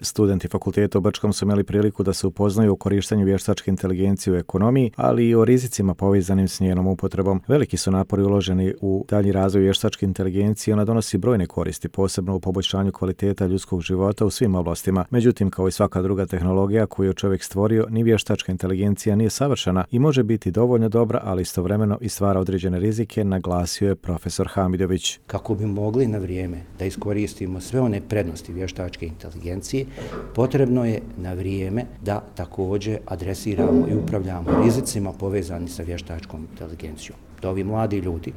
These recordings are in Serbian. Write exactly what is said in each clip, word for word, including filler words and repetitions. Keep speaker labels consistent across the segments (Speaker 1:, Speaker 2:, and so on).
Speaker 1: Studenti fakulteta u Brčkom su imali priliku da se upoznaju o korištenju vještačke inteligencije u ekonomiji, ali i o rizicima povezanim s njenom upotrebom. Veliki su napori uloženi u dalji razvoj vještačke inteligencije, ona donosi brojne koristi, posebno u poboljšanju kvaliteta ljudskog života u svim oblastima. Međutim, kao i svaka druga tehnologija koju je čovjek stvorio, ni vještačka inteligencija nije savršena i može biti dovoljno dobra, ali istovremeno i stvara određene rizike, naglasio je profesor Hamidović.
Speaker 2: Kako bi mogli na vrijeme da iskoristimo sve one prednosti vještačke inteligencije, potrebno je na vrijeme da također adresiramo i upravljamo rizicima povezani sa vještačkom inteligencijom. Da ovi mladi ljudi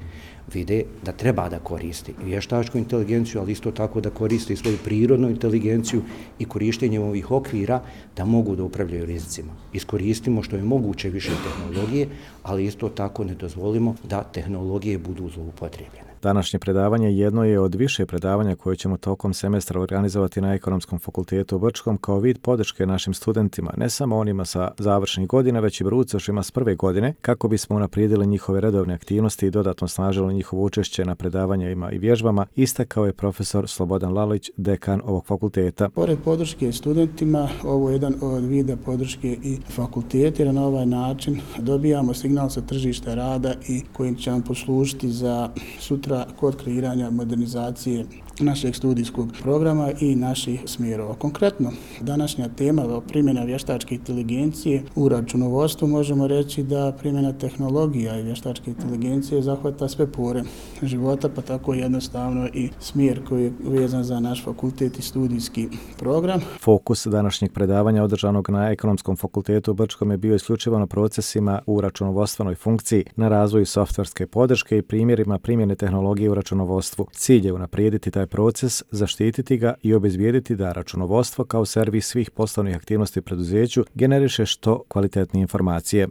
Speaker 2: vide da treba da koristi vještačku inteligenciju, ali isto tako da koriste i svoju prirodnu inteligenciju i korištenjem ovih okvira da mogu da upravljaju rizicima. Iskoristimo što je moguće više tehnologije, ali isto tako ne dozvolimo da tehnologije budu zloupotrijebljene.
Speaker 1: Današnje predavanje jedno je od više predavanja koje ćemo tokom semestra organizovati na Ekonomskom fakultetu u Brčkom kao vid podrške našim studentima, ne samo onima sa završnih godina, već i brucošima s prve godine, kako bismo unaprijedili njihove redovne aktivnosti i dodatno snažili njihovo učešće na predavanjima i vježbama, istakao je profesor Slobodan Lalić, dekan ovog fakulteta.
Speaker 3: Pored podrške studentima, ovo je jedan od vida podrške i fakulteta, jer na ovaj način dobijamo signal sa tržišta rada i koji će nam poslužiti za sutra kod kreiranja modernizacije našeg studijskog programa i naših smjerova. Konkretno, današnja tema primjena vještačke inteligencije u računovodstvu možemo reći da primjena tehnologija i vještačke inteligencije zahvata sve pore života, pa tako jednostavno i smjer koji je vezan za naš fakultet i studijski program.
Speaker 1: Fokus današnjeg predavanja održanog na Ekonomskom fakultetu u Brčkom je bio isključivo na procesima u računovodstvenoj funkciji, na razvoju softverske podrške i primjerima primjene tehnologije u računovodstvu. Cilj je unaprijediti taj proces, zaštititi ga i obezbijediti da računovodstvo kao servis svih poslovnih aktivnosti u preduzeću generiše što kvalitetnije informacije.